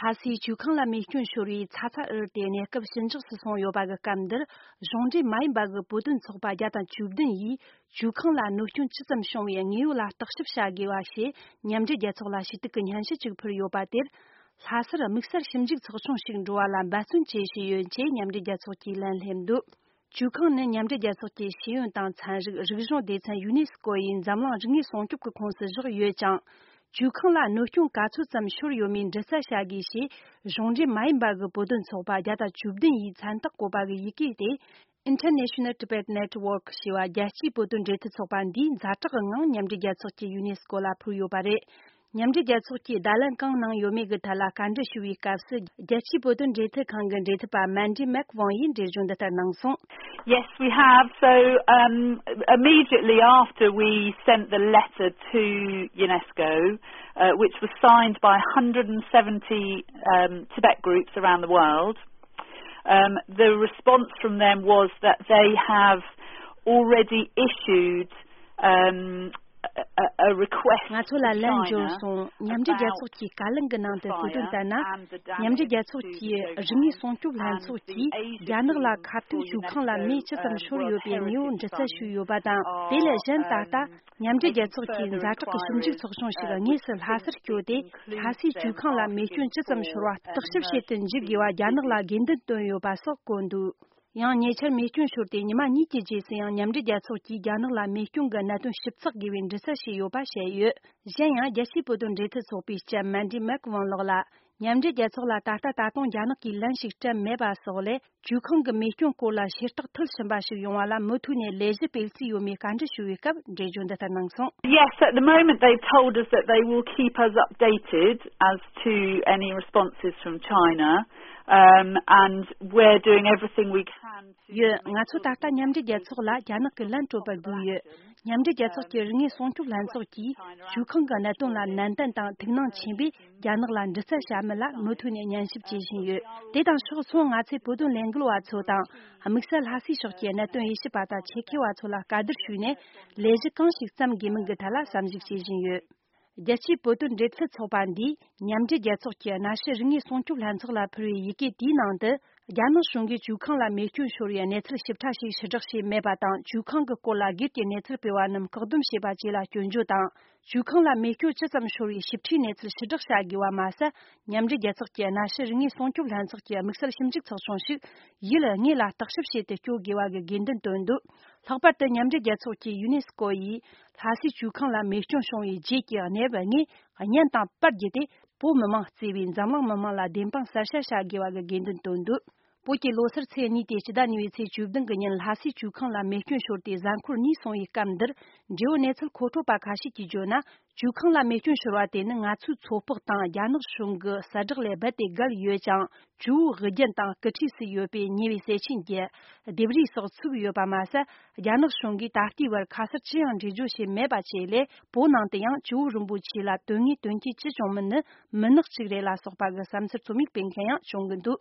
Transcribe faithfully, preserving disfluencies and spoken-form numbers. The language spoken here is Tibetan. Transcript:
ལྷ་སའི་ཇོ་ཁང་ལ་མེ་སྐྱོན་ཤོར་བའི་ཚ་ཚ་འུར་འུར་དེ་གནས་སྐབས་ཞི་འཇགས་སུ་སོང་ཡོད་པ་གི་སྐབས་འདིར། གཞུང་འབྲེལ་མ་ཡིན་པ་གི་བོད་དོན་ཚོགས་པ་བརྒྱ་དང་བཅུ་བདུན་ཡིས་ཇོ་ཁང་ལ་གནོད་སྐྱོན་ཇི་ཙམ་བྱུང་བའི་དངོས་ཡོད་ལ་བརྟག་ཞིབ་བྱ་དགོས་པ་ཞེས་མཉམ་འབྲེལ་རྒྱལ་ཚོགས་ལ་ཞུ་གཏུག་གི་སྙན་ཞུ་ཅིག་ཕུལ་ཡོད་པ་དེར། ལྷ་སར་དམིགས་བསལ་ཞིབ་འཇུག་ཚོགས་ཆུང་ཞིག་འགྲོ་བ་ལ་འབད་བརྩོན་བྱེད་བཞིན་ཡོད་ཅེས་མཉམ་འབྲེལ་རྒྱལ་ཚོགས་ཀྱིས་ལན་སླེབས་འདུག། ཇོ་ཁང་ནི་མཉམ་འབྲེལ་རྒྱལ་ཚོགས་ཀྱི་ཤེས་ཡོན་དང་ཚན་རིག་རིག་གཞུང་སྡེ་ཚན་ཡུ་ནེ་སི་ཀོ་ཡིས་འཛམ་གླིང་རིག་གནས་སྲུང་སྐྱོབ་ཀྱི་ཁོངས་སུ་བཞག་ཡོད་ཅིང་། ཇོ་ཁང་ལ་གནོད་སྐྱོན་ག་ཚོད་ཙམ་ཤོར་ཡོད་མེད་འདྲི་རྩད་བྱ་དགོས་ཞེས་གཞུང་འབྲེལ་མ་ཡིན་པ་གི་བོད་དོན་ཚོགས་པ་བརྒྱ་དང་བཅུ་བདུན་ཡིས་མཚན་རྟགས་བཀོད་པ་གི་ཡི་གེ་དེ། International Tibet Network ཞེས་པ་རྒྱལ་སྤྱིའི་བོད་དོན་འབྲེལ་མཐུད་ཚོགས་པ་འདིས་ཛ་དྲག་གི་ངང་མཉམ་འབྲེལ་རྒྱལ་ཚོགས་ཀྱི་ཡུ་ནེ་སི་ཀོ་ལ་ཕུལ་ཡོད་པ་རེད། མཉམ་འབྲེལ་རྒྱལ་ཚོགས་ཀྱིས་བརྡ་ལན་གང་གནང་ཡོད་མེད་ཀྱི་ཐད་ལ་བཀའ་འདྲི་ཞུ་བའི་སྐབས་སུ། རྒྱལ་སྤྱིའི་བོད་དོན་འབྲེལ་མཐུད་ཁང་གི་འབྲེལ་མཐུད་པ་མན་ཌི་མེག་ཝང་ཡིས་འགྲེལ་བརྗོད་འདི་ལྟར་གནང་སོང་། Yes, we have. So, um, immediately after we sent the letter to UNESCO, uh, which was signed by one hundred seventy, um, Tibet groups around the world, um, the response from them was that they have already issued, um, a, a, a request ང་ཚོ་ལ་ལན་འབྱོར་སོང་། མཉམ་འབྲེལ་རྒྱལ་ཚོགས་ཀྱིས་བཀའ་ལན་གྱི་ནང་དུ་གསལ་སྟོན་བསྟར་ན། མཉམ་འབྲེལ་རྒྱལ་ཚོགས་ཀྱི་རིག་དངོས་སྲུང་སྐྱོབ་ལྷན་ཚོགས་ཀྱིས་རྒྱ་ནག་ལ་ཁ་གཏད་ཇོ་ཁང་ལ་མེ་ཇི་ཙམ་ཤོར་ཡོད་པའི་དངོས་པོ་འདྲི་རྩད་ཞུས་ཡོད་པ་དང་། དེ་ལས་གཞན་ད་ལྟ་མཉམ་འབྲེལ་རྒྱལ་ཚོགས་ཀྱི་ཛ་དྲག་གི་ཞིབ་འཇུག་ཚོགས་ཆུང་ཞིག་དངོས་སུ་ལྷ་སར་བསྐྱོད་དེ། ལྷ་སའི་ཇོ་ཁང་ལ་མེ་སྐྱོན་ཇི་ཙམ་ཤོར་བ་བརྟག་ཞིབ་བྱེད་དུ་འཇུག་དགོས་པ་རྒྱ་ནག་ལ་དགོས་འདུན་བཏོན་ཡོད་པ་སོགས་བཀོད་འདུག། ཡང་ཉེ་ཆར་མེ་སྐྱོན་ཤོར་ཏེ་ཉི་མ་གཉིས་ཀྱི་རྗེས་སུ་ཡང་མཉམ་འབྲེལ་རྒྱལ་ཚོགས་ཀྱིས་རྒྱ་ནག་ལ་མེ་སྐྱོན་གྱི་གནད་དོན་ཞིབ་ཚགས་དགོས་པའི་འདྲི་རྩད་བྱས་ཡོད་པ་བཤད་ཡོད། གཞན་ཡང་རྒྱལ་སྤྱིའི་བོད་དོན་འབྲེལ་མཐུད་ཚོགས་པའི་ལྕམ་མན་ཌི་མེག་ཝང་ལགས་ལ། མཉམ་འབྲེལ་རྒྱལ་ཚོགས་ལ་ད་ལྟ་ད་དུང་རྒྱ་ནག་གིས་ལན་ཞིག་སྤྲད་མེད་པ་སོགས་ལས། ཇོ་ཁང་གི་མེ་སྐྱོན་སྐོར་ལ་ཤེས་རྟོགས་མཐིལ་ཕྱིན་པ་ཞིག་ཡོང་བ་ལ་མུ་མཐུད་ནས་ལས་གཞི་སྤེལ་རྩིས་ཡོད་མེད་བཀའ་འདྲི་ཞུ་བའི་སྐབས་འགྲེལ་བརྗོད་འདི་ལྟར་གནང་སོང་། Yes, at the moment they've told us that they will keep us updated as to any responses from China, um, and we're doing everything we can to ཡོད། ང་ཚོ་ད་ལྟ་མཉམ་འབྲེལ་རྒྱལ་ཚོགས་ལ་རྒྱ་ནག་གི་ལན་སྤྲོད་པར་སྒུག་ཡོད། མཉམ་འབྲེལ་རྒྱལ་ཚོགས་ཀྱི་རིག་དངོས་སྲུང་སྐྱོབ་ལྷན་ཚོགས་ཀྱིས་ཇོ་ཁང་གི་གནད་དོན་ལ་ནན་ཏན་དང་ཐུགས་སྣང་ཆེན་པོས་རྒྱ་ནག་ལ་འདྲི་རྩད་བྱ་མིན་ལ་མུ་མཐུད་ནས་ཉན་ཞིབ་བྱེད་བཞིན་ཡོད། དེ་དང་ཕྱོགས་མཚུངས་ང་ཚོས་བོད་དོན་ལས་འགུལ་བ་ཚོ་དང་། དམིགས་བསལ་ལྷ་སའི་ཕྱོགས་ཀྱི་གནད་དོན་དབྱེ་ཞིབ་པ་དང་ཆེད་མཁས་བ་ཚོ་ལ་བཀའ་བསྡུར་ཞུས་ནས། ལས་གཞི་གང་ཞིག་བརྩམ་དགོས་མིན་གྱི་ཐད་ལ་བསམ་གཞིག་བྱེད་བཞིན་ཡོད། རྒྱལ་སྤྱིའི་བོད་དོན་འབྲེལ་མཐུད་ཚོགས་པ་འདིས་མཉམ་འབྲེལ་རྒྱལ་ཚོགས་ཀྱི་གནའ་ཤུལ་རིག་དངོས་སྲུང་སྐྱོབ་ལྷན་ཚོགས་ལ་ཕུལ་བའི་ཡི་གེ་དེའི་ནང་དུ། རྒྱ་ནག་གཞུང་གིས་ཇོ་ཁང་ལ་མེ་སྐྱོན་ཤོར་བའི་གནས་ཚུལ་ཞིབ་ཕྲ་ཞིག་ཕྱིར་བསྒྲགས་བྱས་མེད་པ་དང་། ཇོ་ཁང་གི་སྐོར་ལ་སྒེར་གྱི་གནས་ཚུལ་སྤེལ་བ་རྣམས་བཀག་སྡོམ་བྱས་པ་བཅས་ལ་སྐྱོན་བརྗོད་དང་། ཇོ་ཁང་ལ་མེ་སྐྱོན་ཇི་ཙམ་ཤོར་བའི་ཞིབ་ཕྲའི་གནས་ཚུལ་ཕྱིར་བསྒྲགས་བྱ་དགོས་པ་མ་ཟད། མཉམ་འབྲེལ་རྒྱལ་ཚོགས་ཀྱི་གནའ་ཤུལ་རིག་དངོས་སྲུང་སྐྱོབ་ལྷན་ཚོགས་ཀྱི་དམིགས་བསལ་ཞིབ་འཇུག་ཚོགས་ཆུང་ཞིག་ཡུལ་དངོས་ལ་བརྟག་ཞིབ་བྱེད་དུ་བསྐྱོད་དགོས་པ་གི་དགོས་འདུན་བཏོན་འདུག། ལྷག་པར་དུ་མཉམ་འབྲེལ་རྒྱལ་ཚོགས་ཀྱི་ཡུ་ནེ་སི་ཀོ་ཡིས་ལྷ་སའི་ཇོ་ཁང་ལ་མེ་སྐྱོན་བྱུང་བའི་རྗེས་ཀྱི་གནས་བབ་དངོས་བརྙན་དང་པར་བརྒྱུད་དེ། བོད་མི་མང་གཙོས་པའི་འཛམ་གླིང་མི་མང་ལ་བདེན་དཔང་གསལ་བཤད་བྱ་དགོས་པ་གི་དགོས་འདུན་བཏོན་འདུག། བོད་ཀྱི་ལོ་སར་ཚེས་གཉིས་ཏེ་སྤྱི་ཟླ་གཉིས་པའི་ཚེས་བཅུ་བདུན་གྱི་ཉིན་ལྷ་སའི་ཇོ་ཁང་ལ་མེ་སྐྱོན་ཤོར་ཏེ་གཟའ་འཁོར་གཉིས་སོང་བའི་སྐབས་འདིར། འབྲེལ་ཡོད་གནས་ཚུལ་མཁོ་སྤྲོད་པ་ཁ་ཤས་ཀྱིས་བརྗོད་ན། ཇོ་ཁང་ལ་མེ་སྐྱོན་ཤོར་བ་དེ་ནི་ང་ཚོའི་ཚོད་དཔག་དང་རྒྱ་ནག་གཞུང་གི་གསལ་བསྒྲགས་ལས་རྦད་དེ་བརྒལ་ཡོད་ཅིང་། ཇོ་བོའི་དབུ་རྒྱན་དང་སྐུ་ཁྲུས་སུ་ཡོད་པའི་ཉེ་བའི་སྲས་ཆེན་གྱི་ལྡེབས་རིས་སོགས་ཚུགས་ཡོད་པ་མ་ཟད། རྒྱ་ནག་གཞུང་གིས་ད་ལྟའི་བར་ཁ་གསལ་ཅི་ཡང་འགྲེལ་བརྗོད་བྱས་མེད་པ་བཅས་ལས། བོད་ནང་དུ་ཡང་ཇོ་བོ་རིན་པོ་ཆེ་ལ་དོན་དངོས་དོན་རྐྱེན་ཅི་བྱུང་མིན་ནི་མུན་ནག་ཅིག་རེད་ལ་སོགས་པ་གི་བསམ་ཚུལ་རྩོམ་ཡིག་སྤེལ་མཁན་ཡང་བྱུང་གི་འདུག།